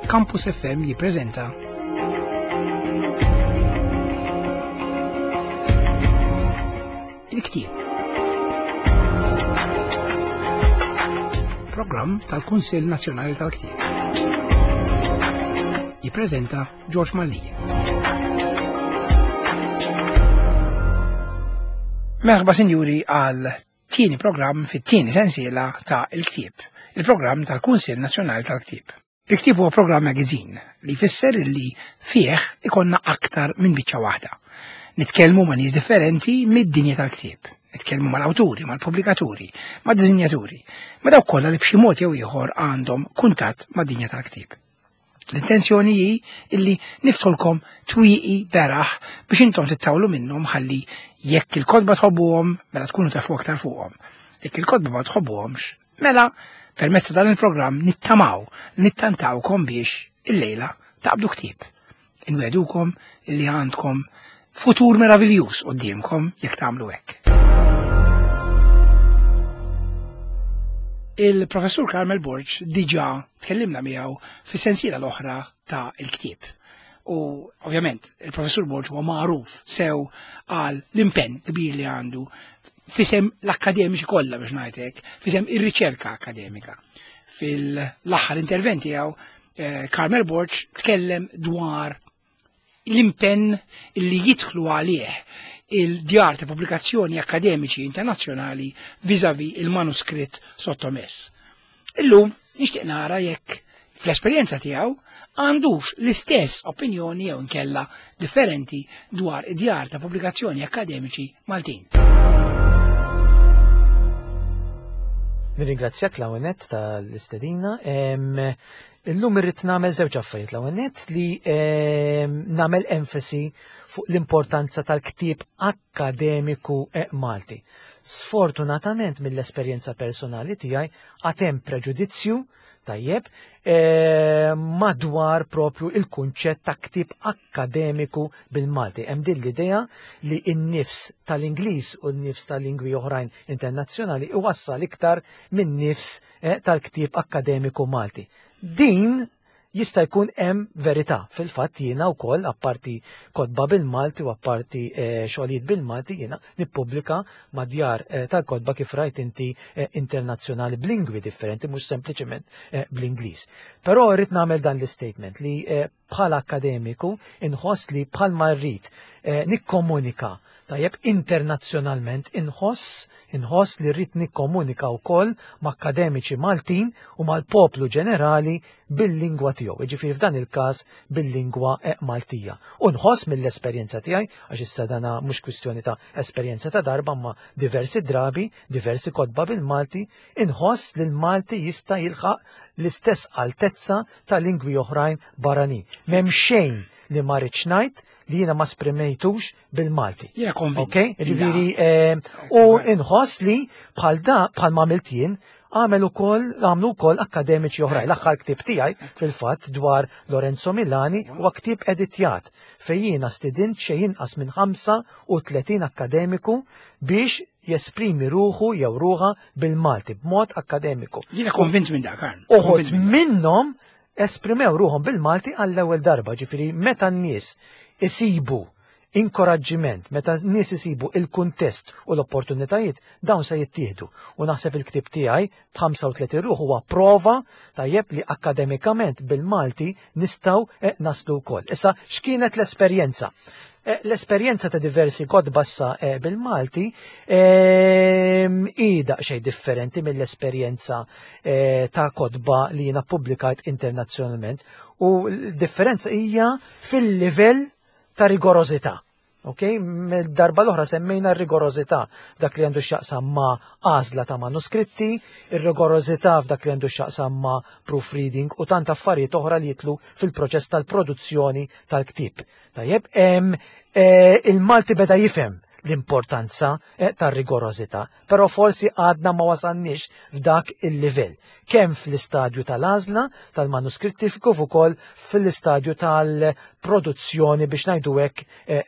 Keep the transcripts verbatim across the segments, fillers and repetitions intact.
Campus F M jippreżenta Il-Ktieb. Programm tal-Kunsill Nazzjonali tal-Ktieb. Jippreżenta George Mallia. Merħba sinjuri għal tieni programm fit-tieni sensiela ta' Il-Ktieb, il-programm tal-Kunsill Nazzjonali tal-Ktieb. Il-Ktieb huwa programm magazine li jfisser li fih ikonna aktar minn biċċa waħda. Nitkellmu ma' nies differenti mid-dinja tal-ktieb. Nitkellmu mal-awturi, mal-pubblikaturi, mad-disinjaturi, ma' dawk kollha li b'xi mod jew ieħor għandhom kuntatt mad-dinja tal-ktieb. L-intenzjoni hi illi niftħulkom twieqi beraħ biex intom tittawlu minnhom ħalli jekk il-kotba tħobbuhom mela tkunu tafu aktar fuqhom. Jekk il-kotba ma tħobbuhomx, mela permezz ta' dan il-programm nittamaw, nittantawkom biex illejla taqbdu ktieb. Inwedukom illi għandkom futur meraviljuż quddiemkom jekk tagħmlu hekk. Il-professur Carmel Borg diġà tkellimna miegħu fis-sensiela l-oħra ta' il-ktieb. U ovvjament il-professur Borg huwa magħruf sew għal l-impenn kbir li għandu fisem l-akkademiċi kollha biex ngħid hekk, fisem ir-riċerka akkademika. Fil-aħħar intervent tiegħu, eh, Carmel Borg tkellem dwar l-impenn li jidħlu għalih il-djar ta' pubblikazzjoni akkademiċi internazzjonali vis-à-vis il-manuskritt sottomess. Illum nixtieq nara jekk fl-esperjenza tiegħu għandux l-istess opinjoni jew inkella differenti dwar id-djar ta' pubblikazzjoni akkademiċi Maltin. Nirringrazzjak l-ewwel tal-istedina. Illum irrid nagħmel żewġ affarijiet. L-ewwel nett li nagħmel enfasi fuq l-importanza tal-ktieb akkademiku Malti. Sfortunatament mill-esperjenza personali tiegħi għad hemm preġudizzju tajjeb madwar propju il-kunċett ta' ktieb akkademiku bil-Malti. Hemm din l-idea li n-nifs tal-Ingliż u n-nifs tal-lingwi oħrajn internazzjonali iwassal iktar minn nifs tal-ktieb akkademiku Malti. Din jista' jkun hemm verità. Fil-fatt jiena wkoll apparti kotba bil-Malti u apparti xogħlijiet bil-Malti jiena nippubblika ma' djar tal-kotba kif rajt inti internazzjonali b'lingwi differenti mhux sempliċement bl-Ingliż. Però rrid nagħmel dan l-istatement li bħala akkademiku inħoss li bħalma rrid nikkomunika tajjeb internazzjonalment inħoss inħoss li rrid nikkomunika wkoll ma' akkademiċi Maltin u mal-poplu ġenerali bil-lingwa tiegħu, jiġifieri f'dan il-każ bil-lingwa Maltija. U nħoss mill-esperjenza tiegħi, għax issa dana mhux kwistjoni ta' esperjenza ta' darba ma' diversi drabi, diversi kotba bil-Malti, inħoss li l-Malti jista' jilħaq l-istess altezza ta' lingwi oħrajn barranin. M'hemm xejn li ma rridx ngħid li jiena ma sprimejtux bil-Malti. Jiena konvint. Ok? Jiġifieri, u inħoss li bħal da, bħal ma għamilt jien, għamel ukoll, għamlu wkoll akkademiċi oħrajn. L-aħħar ktieb tiegħi fil-fatt dwar Lorenzo Milani huwa ktieb editjat fejn jiena stidint xejn inqas minn ħamsa u tletin akkademiku biex jesprimi ruħu jew ruħa bil-Malti b'mod akkademiku. Jiena konvint minn dak, Karl. Uħud minnhom esprimew ruħhom bil-Malti għall-ewwel darba, ġifieri meta n-nies isibu inkoraġġiment, meta n-nies isibu il-kuntest u l-opportunitajiet, dawn se jittieħdu. U naħseb il-ktieb tiegħi b'ħamsa u tletin ruħ huwa prova tajjeb li akkademikament bil-Malti nistgħu naslu wkoll. Issa x'kienet l-esperjenza? L-esperjenza ta' diversi kotba issa bil-Malti hi daqsxejn differenti mill-esperjenza ta' kotba li jiena ppubblikajt internazzjonalment, u l-differenza hija fil-livell ta' rigorożità. Ok? Darba l-oħra semmejna r-rigorożità f'dak li għandu x'jaqsam ma' għażla ta' manuskritti, ir-rigorożità f'dak li għandu x'jaqsam ma' proofreading u tant affarijiet oħra li jitlu fil-proċess tal-produzzjoni tal-ktieb. Tajjeb, il-Malti beda jifhem l-importanza tar-rigorożità, però forsi għadna ma wasalniex f'dak il-livell, kemm fl-istadju tal-għażla tal-manuskritti kif ukoll fl-istadju tal-produzzjoni biex ngħidu hekk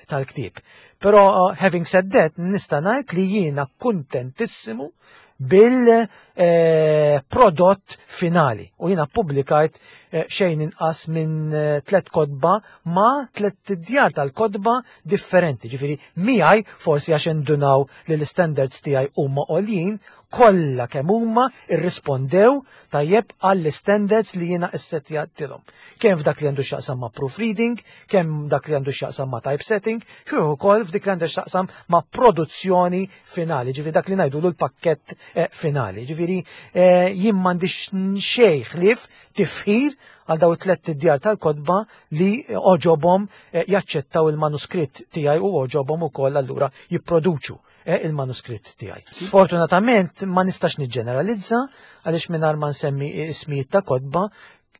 tal-ktieb. Però having said that, nista' ngħid li jiena kuntentissimu bil eh, prodott finali. U jiena ppubblikajt eh, xejn inqas minn eh, tliet kotba ma' tliet djar tal-kotba differenti. Ġifieri miegħi forsi għax indunaw li l-standards tiegħi huma għoljin, kollha kemm huma irrispondew tajjeb għall-standards li jiena issettjatilhom. Kemm f'dak li għandu x'jaqsam ma' proofreading, kemm dak li għandu x'jaqsam ma' typesetting, kif ukoll f'dik li għandu x'jaqsam ma' produzzjoni finali, ġifieri dak li ngħidulu l-pakkett eh, finali. Ġifieri eh, jien m'għandix xejn ħlief tifħir għal daw it-tliet djar tal-kotba li għoġobhom eh, jaċċettaw il-manuskritt tiegħi u għoġobhom ukoll allura jipproduċu eh, il-manuskritt tiegħi. Sfortunatament ma nistax niġġeneralizza għaliex mingħajr ma nsemmi ismijiet ta' kotba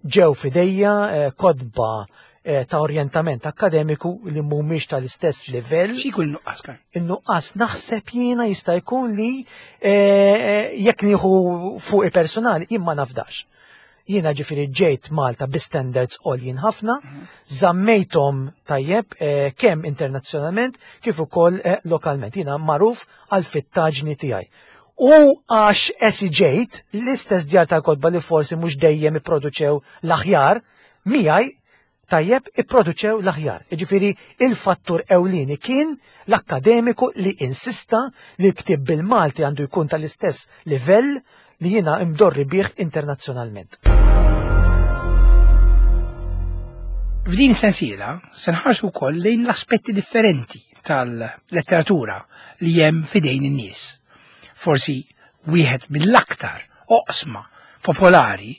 ġew f'idejja eh, kotba eh, ta' orjentament akkademiku li mhumiex tal-istess livell. Xi jkun in-nuqqas, Karl? In-nuqqas naħseb jiena jista' jkun li eh, jekk nieħu fuqi personali jien ma nafdax. Jiena ġifieri ġejt Malta bi standards għoljin ħafna, żammejthom tajjeb eh, kemm internazzjonalment kif ukoll eh, lokalment. Jiena magħruf għal fittaġni tiegħi. U għax esiġejt l-istess djar tal-kotba li forsi mhux dejjem ipproduċew l-aħjar, miegħi tajjeb ipproduċew l-aħjar. Jiġifieri il-fattur ewlieni kien l-akkademiku li insista li l-ktieb bil-Malti għandu jkun tal-istess livell li jiena imdorri bih internazzjonalment. F'din sensiela se nħarsu wkoll lejn l-aspetti differenti tal-letteratura li hemm f'idejn in-nies. Forsi wieħed mill-aktar oqsma popolari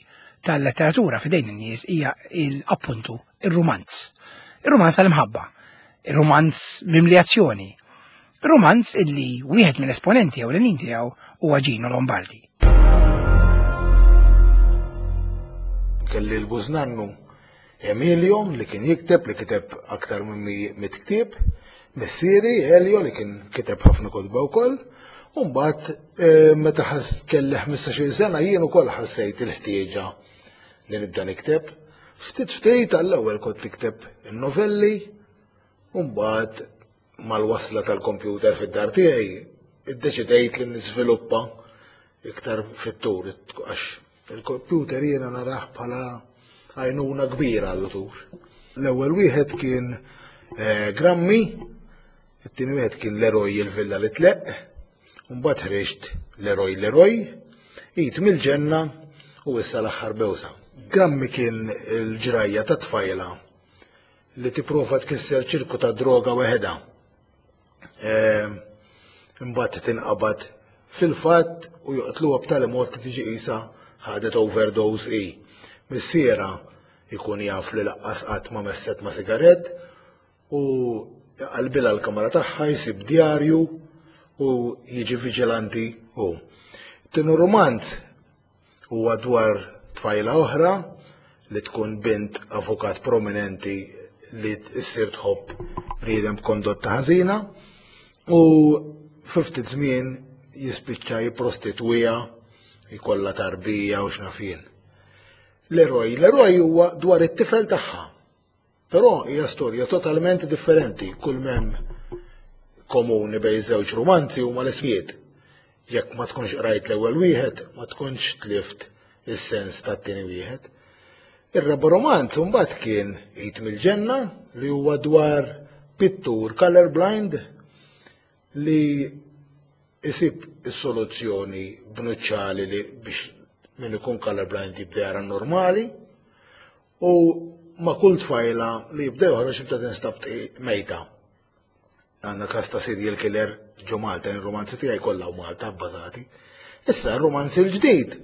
tal-letteratura f'idejn in-nies hija il-appuntu ir-rumanz. Ir-rumanz tal-imħabba, ir-rumanz mimli azzjoni, ir-rumanz illi wieħed mill-esponenti ewlenin tiegħu huwa Gino Lombardi. Kelli l-bużnannu Emilio li kien jikteb, li kiteb aktar minn mitt ktieb, missieri Elio li kien kiteb ħafna kotba wkoll, u mbagħad, eh, meta ħass kelli ħmistax-il sena jien ukoll ħassejt il-ħtieġa li nibda nikteb. Ftit ftit għall-ewwel kont nikteb in-novelli, u mbagħad mal-wasla tal-kompjuter fid-dar tiegħi iddeċidejt li niżviluppa iktar fit-tul, għax il-kompjuter jiena narah bħala għajnuna kbira għall-utur. L-ewwel wieħed kien, eh, Grammi, it-tieni wieħed kien L-Eroj il-Villa li Tleqq, u mbagħad ħriġt L-Eroj l-Eroj, Id mill-Ġenna u issa l-aħħar bewsa. Grammi kien il-ġrajja ta' tfajla li tipprova tkisser ċirku ta' droga weħeda. Eh, imbagħad tinqabad fil-fatt u joqtluha b'tali mod li tiġi qisha ħadet overdose i. Missiera jkun jaf li laqqas qatt ma messet ma' sigarett u qalbilha l-kamra tagħha, jsib djarju u jiġi viġilanti hu. Tieni romanz huwa dwar tfajla oħra li tkun bint avukat prominenti li ssir tħobb bniedem b'kondotta ħażina u fi ftit żmien jispiċċa jipprostitwiha, jkollha tarbija u x'naf jien. L-eroj, l-eroj huwa dwar it-tifel tagħha. Però hija storja totalment differenti, kull m'hemm komuni bejn żewġ romanzi huma l-ismijiet. Jekk ma tkunx qrajt l-ewwel wieħed, ma tkunx tlift is-sens tat-tieni wieħed. Ir-raba' romanz imbagħad kien Id mill-Ġenna li huwa dwar pittur colorblind li isib is-soluzzjoni b'nuċċali li biex min ikun colorblind jibda jara normali u ma' kull tfajla li jibda joħroġ jibda tinstab mejta. Għandna każ ta' serial killer ġo Malta, il-romanzi tiegħi kollha u Malta bbażati. Issa r-romanzi l-ġdid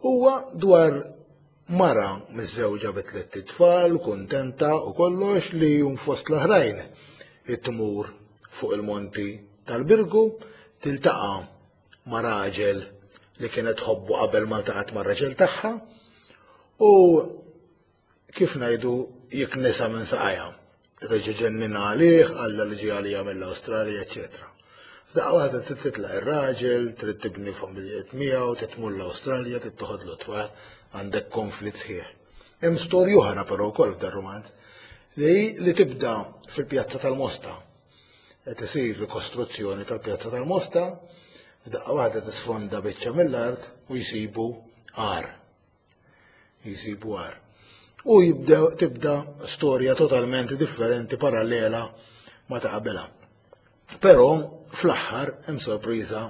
huwa dwar mara miżżewġa bi tliet itfal, kuntenta u kollox li jum fost l-oħrajn it-tmur fuq il-monti tal-Birgu, tiltaqa' ma' raġel li kienet tħobbu qabel ma ltaqgħet mar-raġel tagħha u kif ngħidu jiknisa minn saqajha. Reġa' ġennina għalih, qalla li ġie għalija mill-Awstralja, eċċetera. F'daqqa waħda trid titlaq ir-raġel, trid tibni familjiet miegħu, trid tmur l-Awstralja, trid toħodlu tfal, għandek konflitt sħiħ. Hemm storja oħra però wkoll f'dan romanz li, li tibda fil-Pjazza tal-Mosta. Qed isir rikostruzzjoni tal-Pjazza tal-Mosta, F'daqqa waħda tisfonda biċċa mill-art u jsibu għar. Jsibu għar. U jibdew tibda storja totalment differenti, parallela ma ta' qabelha. Però fl-aħħar hemm sorpriża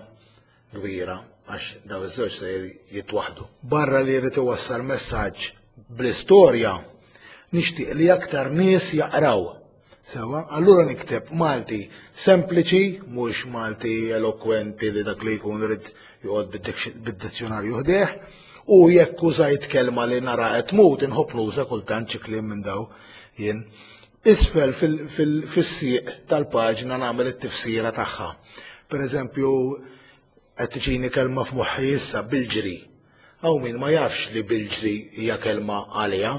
kbira għax daw iż-żewġ se jitwaħdu. Barra li jrid iwassal messaġġ bl-istorja, nixtieq li aktar nies jaqraw. Sewa, allura nikteb Malti sempliċi, mhux Malti elokwenti li dak li jkun irid joqgħod bid-dizzjonarju ħdejh, u jekk użajt kelma li nara qed tmut, inħobb nuża kultant xi kliem minn daw jien. Isfel fis-sieq tal-paġna nagħmel it-tifsira tagħha. Per eżempju, qed tiġini kelma f'moħħi issa bilġri. Hawn min ma jafx li bilġri hija kelma għaliha,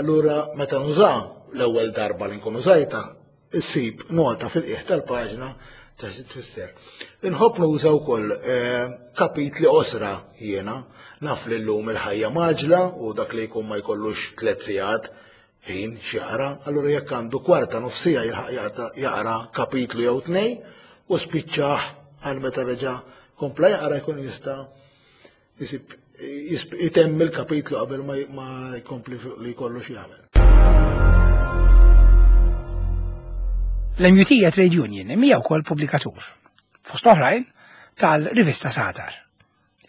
allura meta nuża l-ewwel darba li nkun użajta, issib nota fil-qiegħ tal-paġna ta' xi tfisser. Inħobb nuża wkoll kapitli qosra jiena, naf li llum il-ħajja maġla u dak li jkun ma jkollux tliet sigħat ħin x'jaqra, allura jekk għandu kwarta nofsija jilħaq jaqra kapitlu jew tnejn u spiċċah għal meta reġa' kompla jaqra jkun jista' jisib jitemm il-kapitlu qabel ma jkompli li jkollu x'jagħmel. L-M U T hija trade union imma hija wkoll pubblikatur, fost oħrajn tal-rivista Sagħtar.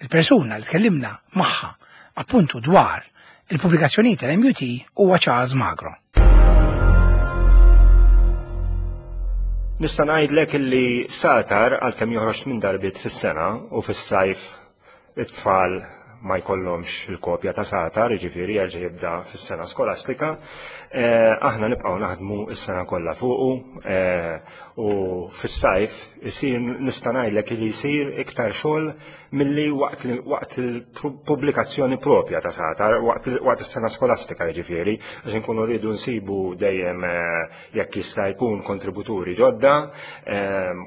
Il-persuna li tkellimna magħha appuntu dwar il-pubblikazzjonijiet tal-M U T huwa Charles Magro. Nista' ngħidlek illi Sagħtar għalkemm joħroġ minn darbiet fis-sena u fis-sajf it-tfal ma jkollhomx il-kopja ta' Sagħtar, jiġifieri jerġa' jibda fis-sena skolastika, aħna nibqgħu naħdmu s-sena kollha fuqu u fis-sajf isir nista' ngħidlek li jsir iktar xogħol milli waqt il-pubblikazzjoni propja ta' Sagħtar, waqt is-sena skolastika jiġifieri, għax inkunu rridu nsibu dejjem jekk jista' jkun kontributuri ġodda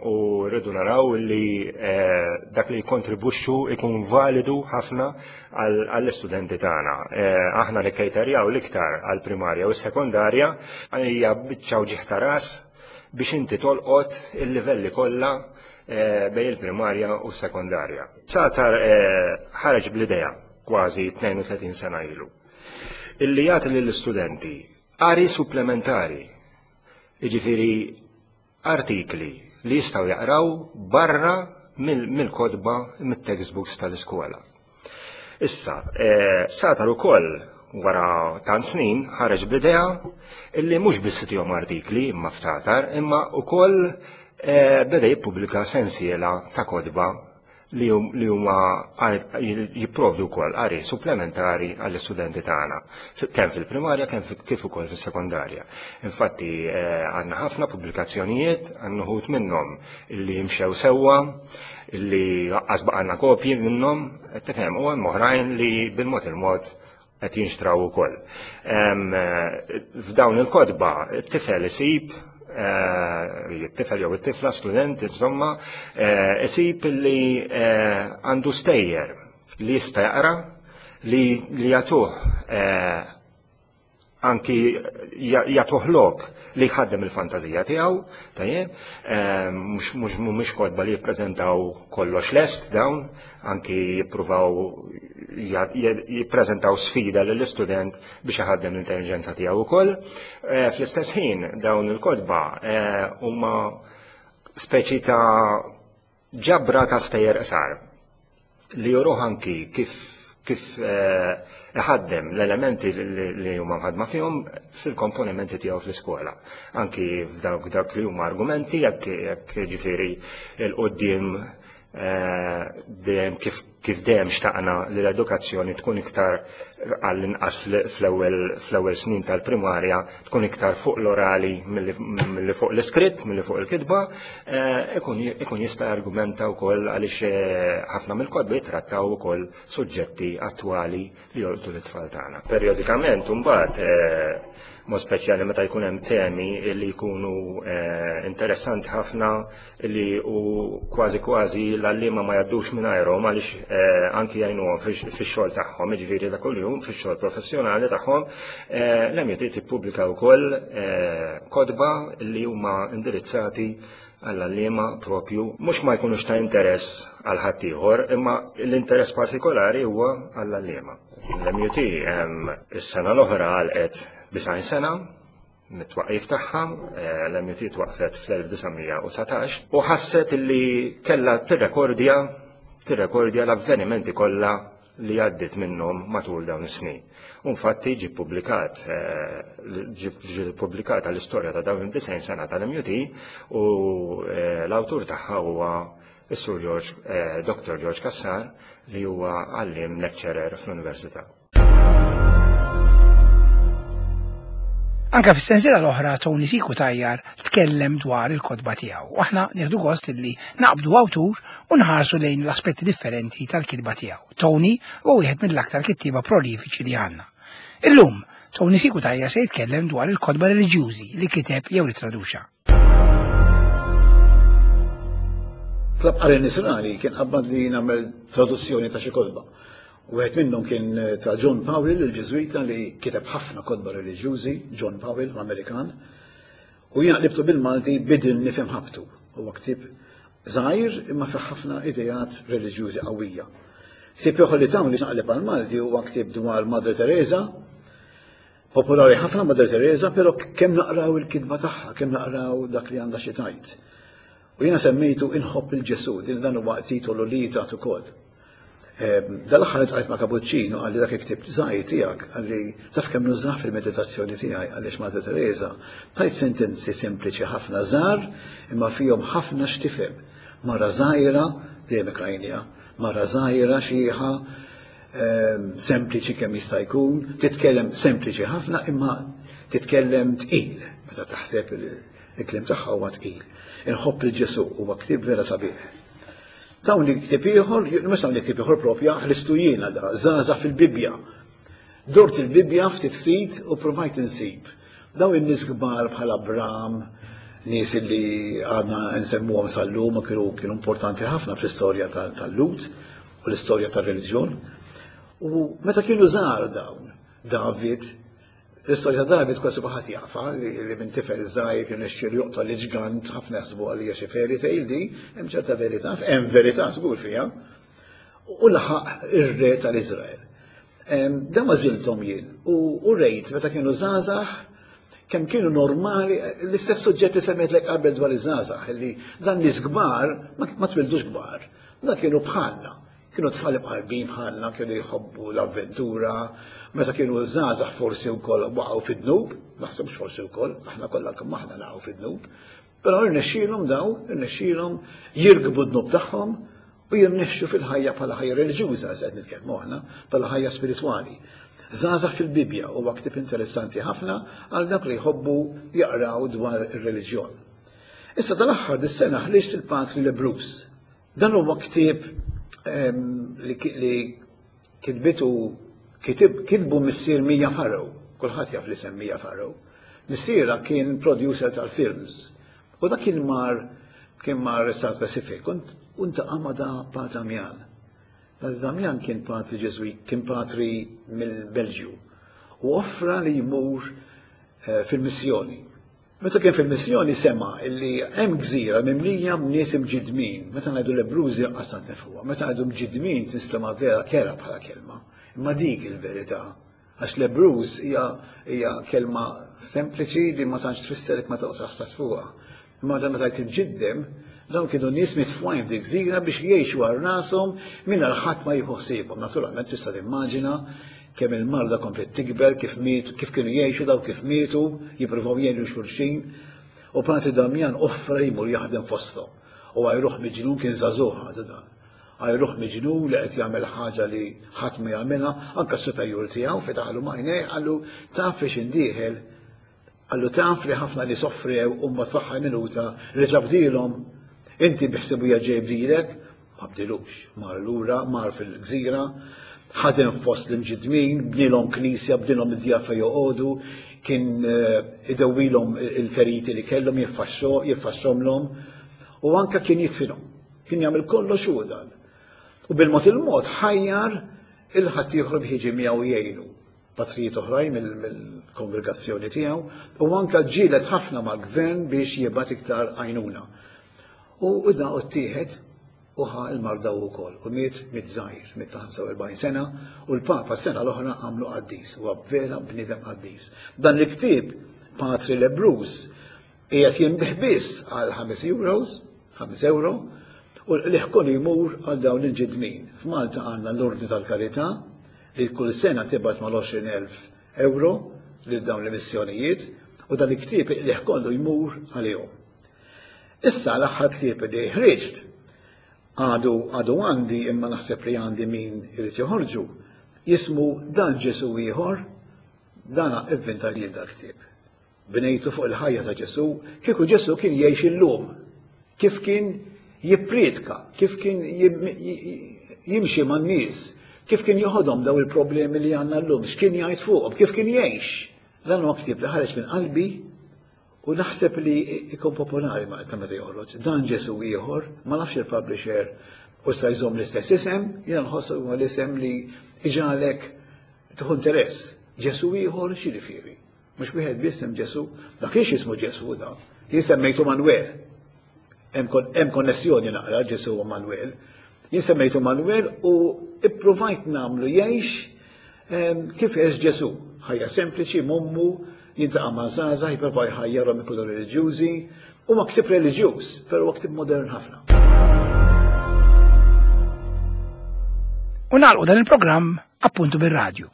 u rridu naraw li dak li jkontribwixxu ikun validu ħafna għall-istudenti tagħna. Aħna nikkejterjaw l-iktar għall-primarja u s-sekondarja hija biċċa wġigħ ta' ras biex inti tolqot il-livelli kollha bejn il-primarja u s-sekondarja. Sagħtar ħareġ bl-idea kważi tnejn u tletin sena ilu illi jagħti lill-istudenti qari supplementari, jiġifieri artikli li jistgħu jaqraw barra mill-kotba, mit-textbooks tal-iskola. Issa, Sagħtar ukoll wara tant snin ħareġ bl-idea illi mhux biss itihom artikli imma f'Sagħtar, imma wkoll beda jippubblika sensiela ta' kotba li huma jipprovdu wkoll qari supplementari għall-istudenti tagħna, kemm fil-primarja kemm kif ukoll fis-sekondarja. Infatti għandna ħafna pubblikazzjonijiet, għandna wħud minnhom illi jimxew sewwa, illi laqqas baqgħna kopji minnhom, tifhem, u hemm oħrajn li bil-mod il-mod qed jinxtraw ukoll. F'dawn il-kotba it-tifel isib, it-tifel jew it-tifla student insomma, isib li għandu stejjer li jista' jaqra, li jagħtuh anki jagħtuh lok li jħaddem il-fantażija tiegħu, tajjeb, mhux mhumiex kotba li jippreżentaw kollox lest dawn, anki jippruvaw jippreżentaw sfida lill-istudent biex iħaddem l-intelligenza tiegħu wkoll. Fl-istess ħin dawn il-kotba huma speċi ta' ġabra ta' stejjer qsar li juruh anki kif kif iħaddem l-elementi li huma mħadma fihom fil-komponimenti tiegħu fl-iskola. Anki f'dawk dak li huma argumenti jekk jiġifieri l-quddiem dejjem kif kif dejjem xtaqna li l-edukazzjoni tkun iktar għall-inqas fl-ewwel snin tal-primarja tkun iktar fuq l-orali milli fuq l-iskritt, milli fuq il-kitba, ikun jista' argumenta wkoll għaliex ħafna mill-kotba jitrattaw ukoll suġġetti attwali li jolqtu l-tfal tagħna. Perjodikament imbagħad mod speċjali meta jkun hemm temi li jkunu interessanti ħafna li u kważi kważi l-għalliema ma jgħaddux mingħajrhom għaliex anki jgħinuhom fix-xogħol tagħhom, jiġifieri ta' kuljum fix-xogħol professjonali tagħhom, l-M U T tippubblika wkoll kotba li huma indirizzati għall-għalliema propju, mhux ma jkunux ta' interess għal ħaddieħor, imma l-interess partikolari huwa għall-għalliema. L-M U T is-sena l-oħra għalqet disgħin sena mit-twaqif tagħha, eh, l-M U T twaqfet fl-elf disa' mija u dsatax u ħasset li kellha tirrekordja tirrekordja l-avvenimenti kollha li għaddit minnhom matul dawn is-snin. Infatti ġi publikat, ġi pubblikata l-istorja ta' dawn id-disgħin sena tal-M U T u eh, l-awtur tagħha huwa is-Sur George, eh, Doctor George Cassar, li huwa għallim lecturer fl-Università. Anka fis-sensiela l-oħra Tony C. Cutajar tkellem dwar il-kotba tiegħu. U aħna nieħdu gost li naqbdu awtur u nħarsu lejn l-aspetti differenti tal-kitba tiegħu. Tony huwa wieħed mill-aktar kittieba prolifiċi li għandna. Illum, Tony C. Cutajar se jitkellem dwar il-kotba reliġjużi li kiteb jew li traduxa. Klabb Qari Nisrani kien qabbad li nagħmel traduzzjoni ta' xi kotba. Wieħed minnhom kien ta' John Powell, il-Ġiżwita li kiteb ħafna kotba reliġjużi, John Powell, l-Amerikan. U jiena qlibtu bil-Malti "Bidilni fi Mħabbtu". Huwa ktieb żgħir imma fih ħafna ideat reliġjużi qawwija. Ktieb ieħor li tawni naqleb għal-Malti huwa ktieb dwar Madre Teresa, popolari ħafna Madre Teresa, però kemm naqraw il-kitba tagħha, kemm naqraw dak li għandha xi tgħid. U jiena semmejtu "Inħobb lil Ġesù", din dan huwa titolu li tat ukoll. Dal-aħħar iltqajt ma' Kapuċċino, qalli dak il-ktieb żgħir tiegħek, qalli taf kemm nużah fil-meditazzjoni tiegħi, għaliex Madre Teresa tajt sentenzi sempliċi ħafna, żgħar, imma fihom ħafna x'tifhem. Mara żgħira, dejjem ikrajnija, mara żgħira xieħa, sempliċi kemm jista' jkun, titkellem sempliċi ħafna imma titkellem tqil, meta taħseb il-kliem tagħha huwa tqil. "Inħobb lil Ġesù" huwa ktieb vera sabiħ. Tawni ktieb ieħor, mhux tawni ktieb ieħor propja, ħlistu jiena da, "Żgħażagħ fil-Bibbja". Dort il-Bibbja ftit ftit u provajt insib daw in-nies kbar bħal Abram, nies li għadna nsemmuhom sal-lum u kienu kienu importanti ħafna fl-istorja tal-Lhud u l-istorja tal-reliġjon. U meta kienu żgħar dawn, David, l-istorja ta' David kważi kulħadd jafha, li minn tifel żgħir kien ixxir joqtol ġgant, ħafna jaħsbu għalija xi fairy tale di, hemm ċerta verità, hemm verità żgur fiha. U laħaq ir-re tal-Iżrael. Dan għażilthom jien u rejt meta kienu żgħażagħ kemm kienu normali, l-istess suġġett li semmejtlek qabel dwar iż-żgħażagħ, li dan nies kbar ma twildux kbar, dan kienu bħalna, kienu tfal imqarbin bħalna, kienu jħobbu l-avventura, meta kienu żgħażagħ forsi wkoll waqgħu fid-dnub, naħseb forsi wkoll, aħna kollha kemm aħna naqgħu fid-dnub, però irnexxielhom daw, irnexxielhom jirkbu d-dnub tagħhom u jirnexxu fil-ħajja bħala ħajja reliġjuża, qed nitkellmu aħna, bħala ħajja spiritwali. "Żgħażagħ fil-Bibbja" huwa ktieb interessanti ħafna għal dak li jħobbu jaqraw dwar ir-reliġjon. Issa tal-aħħar dis-sena ħriġt "Il-Patri Lebbruż". Dan huwa ktieb li kitbitu kitbu missier Mia Farrow, kulħadd jaf li sem Mia Farrow. Missierha kien producer tal-films. U dak kien mar kien mar South Pacific u ltaqa' ma' da Patri Damian. Patri Damian kien patri Ġeżwit, kien patri mill-Belġju. U offra li jmur eh, fil-missjoni. Meta kien fil-missjoni sema illi hemm gżira mimlija b'nies imġidmin. Meta ngħidu lebbrużi qasat nifhuha, meta ngħidu mġidmin tinstema' vera kerha bħala kelma. Imma dik il-verità. Għax lebbruż hija hija kelma sempliċi li ma tantx tfisser ma toqgħodx taħsas fuqha. Imma meta tgħid imġiddem, dawn kienu nies mitfugħin f'dik gżira biex jgħixu għal rashom mingħajr ħadd ma jieħu ħsiebhom. Naturalment tista' timmaġina kemm il-marda komplet tikber, kif mietu, kif kienu jgħixu daw, kif mietu, jippruvaw jgħinu xulxin. U Patri Damian offra jmur jaħdem fosthom. U għajruh miġnun, kien żagħżugħ għadu dan. Għajruh miġnun li qed jagħmel ħaġa li ħadd ma jagħmilha, anke s-superjur tiegħu fetaħlu m'għajnejh, qallu taf fiex indieħel, qallu taf li ħafna li soffrew u mbagħad fl-aħħar minuta reġa' bdielhom. Inti biħsibu jerġa' jibdilek, ma bdilux, mar lura, mar fil-gżira, ħadem fost l-imġidmin, bnilhom knisja, bnilhom id-djar fejn joqogħdu, kien eh, idewwilhom il-feriti li kellhom, jiffaxxomlhom, u anka kien jidfinhom. Kien jagħmel kollox hu dan. U bil-mod il-mod ħajjar il-ħaddieħor biex jiġi miegħu jgħinu. Patrijiet oħrajn mill-kongregazzjoni tiegħu, u anka ġielet ħafna mal-gvern biex jibgħat iktar għajnuna. U da ttieħed u ħa l-marda wkoll u miet miet żgħir, miet ta' ħamsa u erbgħin sena, u l-Papa s-sena l-oħra għamlu qaddis, huwa vera bniedem qaddis. Dan il-ktieb Patri Lebbruż qiegħed jinbiegħ biss għal ħames euros, ħames euro, u l-qligħ kollu jmur għal dawn il-ġidmin. F'Malta għandna l-Ordni tal-Karità li kull sena tibgħat mal-għoxrin elf euro lil dawn l-missjonijiet u dan il-ktieb il-qligħ kollu jmur għalihom. Issa l-aħħar ktieb li ħriġt għadu għadu għandi, imma naħseb li għandi min irid joħorġu, jismu Dan Ġesu ieħor. Dana ivvinta li dal-ktieb. Bnejtu fuq il-ħajja ta' Ġesu, kieku Ġesu kien jgħix illum, kif kien jippriedka, kif kien jimxi man-nies, kif kien joħodhom daw il-problemi li għandna llum, x'kien jgħid fuqhom, kif kien jgħix. Dan huwa ktieb li ħareġ minn qalbi u naħseb li ikun popolari ma ta' meta joħroġ. Dan Ġesu ieħor, ma nafx il-publisher u sa jżomm l-istess isem, jiena nħossu huwa l-isem li iġagħlek tieħu interess. Ġesu ieħor x'jiġifieri? Mhux wieħed biss hemm Ġesu, dak kienx jismu Ġesu da. Jien semmejtu Manuel. Hemm konnessjoni naqra Ġesu u Manuel. Jien semmejtu Manuel u ippruvajt nagħmlu jgħix kif għex Ġesu. Ħajja sempliċi, m'ommu, jiltaqa' ma' żgħażagħ, jipprova jħajjarhom ikunu reliġjużi. Huwa ktieb reliġjuż, però huwa ktieb modern ħafna. U nagħlqu dan il-programm appuntu bir-radju.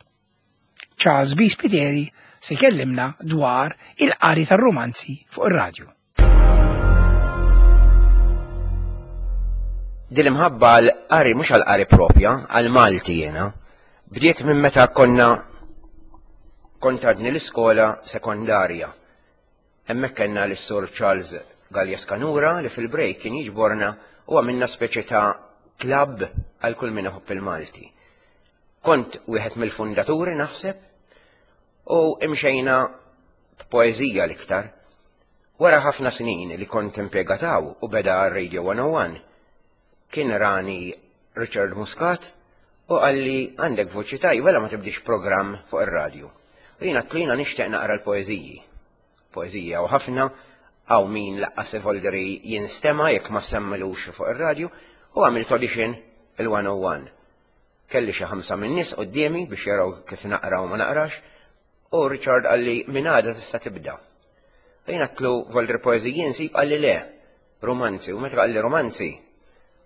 Charles B. Spiteri se jkellimna dwar il-qari tar-romanzi fuq ir-radju. Din l-imħabba għal-qari, mhux għal-qari propja, għal-Malti jiena, bdiet minn meta konna kont għadni l-iskola sekondarja. Hemmhekk kellna l-Sur Charles Gallia Skanura li fil-break kien jiġborna u għamilna speċi ta' klabb għal kull min iħobb il-Malti. Kont wieħed mill-fundaturi naħseb u imxejna b'poeżija l-iktar. Wara ħafna snin li kont impjegat hawn u beda Radio one oh one, kien rani Richard Muscat u qalli, "Għandek voċi tajba, la ma tibdix program fuq ir-radju?" U jiena għedtlu, "Nixtieq naqra l-poeżiji." Poeżija u ħafna hawn min lanqas volderi jinstema jekk ma semmilux fuq ir-radju, u għamilt audition il-one oh one. Kelli xi ħamsa minn nies quddiemi biex jaraw kif naqra u ma naqrax, u Richard qalli, "Minn għada tista' tibda." U jiena għedtlu, "Volderi poeżiji nsib?" Qalli, "Le, romanzi." U meta qalli romanzi,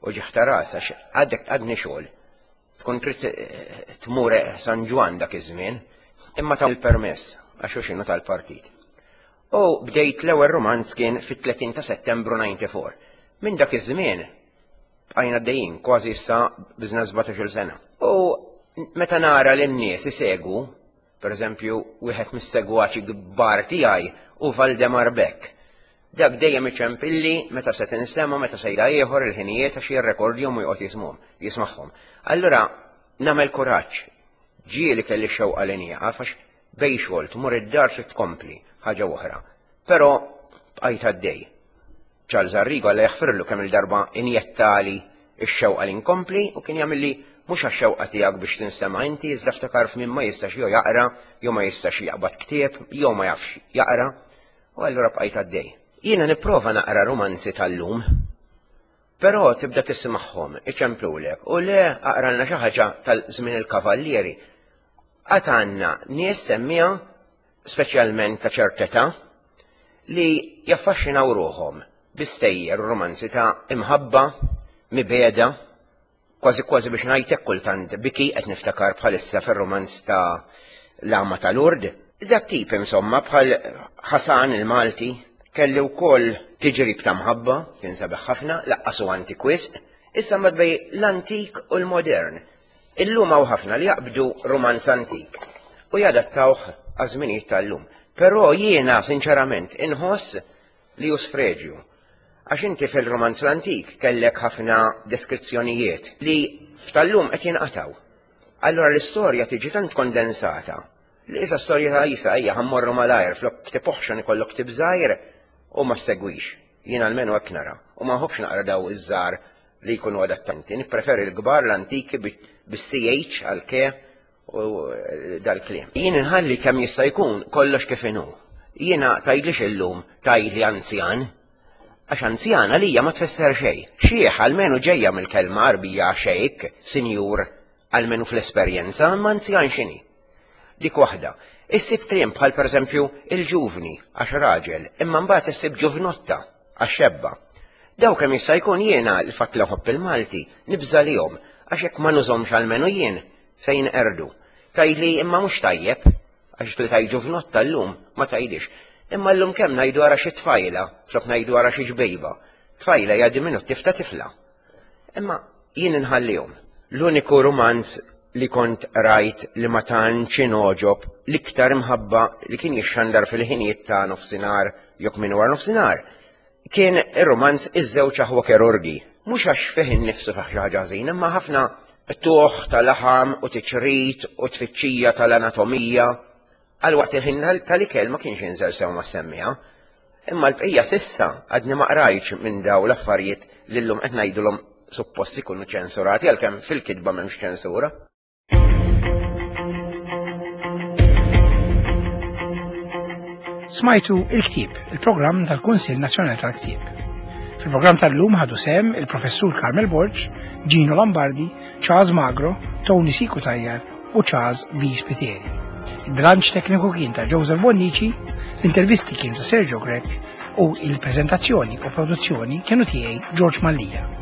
u ġiħta ras, għax għadek għadni xogħol. Tkun trid tmur San Ġwann dak iż-żmien, imma ta' il-permess għax xinu tal-partit. U bdejt, l-ewwel romanz kien fit-tletin ta' Settembru disgħa u disgħin. Minn dak iż-żmien bqajna għaddejjin, kważi issa biżna sbatax-il sena. U meta nara lin-nies isegwu, per eżempju, wieħed mis-segwaċi kbar tiegħi u Valdemar Beck. Dak dejjem iċempilli meta se tinstema', meta se jda ieħor, il-ħinijiet, għax jirrekordjhom u joqgħod jismuhom, jismagħhom. Allura nagħmel kuraġġ. Ġieli kelli xewqa li nieqaf għax bejn xogħol tmur id-dar trid tkompli ħaġa oħra. Però bqajt għaddej. Charles Arrigo, Alla jaħfirlu, kemm il-darba injettali ix-xewqa li nkompli u kien jagħmilli, "Mhux għax-xewqa tiegħek biex tinsema' inti, iżda ftakar f'min ma jistax jew jaqra, jew ma jistax jaqbad ktieb, jew ma jafx jaqra." U allura bqajt għaddej. Jiena nipprova naqra romanzi tal-lum, però tibda tismagħhom, iċemplulek, u le, aqralna xi ħaġa tal-żmien il-kavallieri. Għad għandna nies semmija, speċjalment ta' ċerteta, li jaffaxxinaw ruħhom bi stejjer romanzi ta' imħabba, mibegħda, kważi kważi biex ngħidlek kultant biki, qed niftakar bħalissa fir-romanz ta' L-Għama ta' Lourdes. Dak tip insomma, bħal Ħasan il-Malti, kelli wkoll Tiġrib ta' Mħabba, kien sabiħ ħafna, lanqas hu antik wisq, issa mbagħad bejn l-antik u l-modern. Illum hawn ħafna li jaqbdu romanz antik u jadattawh għaż-żminijiet tal-lum. Però jiena sinċerament inħoss li hu sfreġju. Għax inti fil-romanz l-antik kellek ħafna deskrizzjonijiet li f'tal-lum qed jinqataw. Allora l-istorja tiġi tant kondensata li issa storja ta' isa ejja ħa mmorru malajr, flok ktieb oħxon ikollok ktieb żgħir u ma segwix. Jien almenu hekk nara. U ma nħobbx naqra daw iż-żgħar li jkunu adattanti. Nippreferi l-kbar, l-antiki, bis-C H għal ke u dal-kliem. Jien inħalli kemm jista' jkun kollox kif inhu. Jiena tgħidlix illum tgħidli anzjan. Għax anzjan għalija ma tfisser xejn. Xiħ almenu ġejja mill-kelma Għarbija xejk, sinjur, almenu fl-esperjenza, imma anzjan x'inhi? Dik waħda. Issib kliem bħal pereżempju il-ġuvni għax raġel, imma mbagħad issib ġuvnotta għax xebba. Daw kemm jista' jkun jiena l-fatt li nħobb il-Malti nibża' lihom għax jekk ma nużhomx almenu jien se jinqerdu. Tgħidli imma mhux tajjeb, għax li tgħid ġuvnotta llum ma tgħidix. Imma llum kemm ngħidu ara xi tfajla, flok ngħidu ara xi ġbejba. Tfajla hija diminuttiv ta' tifla. Imma jien inħallihom. L-uniku rumanz li kont rajt li ma tantx inogħġob l-iktar imħabba li kien jixxandar fil-ħinijiet ta' nofsinhar jekk minn wara nofsinhar kien ir-rumanz Iż-żewġ aħwa kirurgi. Mhux għax fih innifsu fih xi ħaġa ħażina, imma ħafna tuħ tal-laħam u tiċrit u tfittxija tal-anatomija. Għal waqt il-ħin tal-ikel ma kienx inżel sew ma semmija. Imma l-bqija sissa għadni ma qrajtx minn daw l-affarijiet li llum qed ngħidulhom suppost ikunu ċensurati għalkemm fil-kitba m'hemmx ċensura. Smajtu Il-Ktieb, il-programm tal-Kunsill Nazzjonali tal-Ktieb. Fil-programm tal-lum ħadu sehem il-Professur Carmel Borg, Gino Lombardi, Charles Magro, Tony C. Cutajar u Charles B. Spiteri. Il-bilanċ tekniku kien ta' Joseph Bonnici, l-intervisti kienu ta' Sergio Grech u il-prezentazzjoni u produzzjoni kienu tiegħi George Mallia.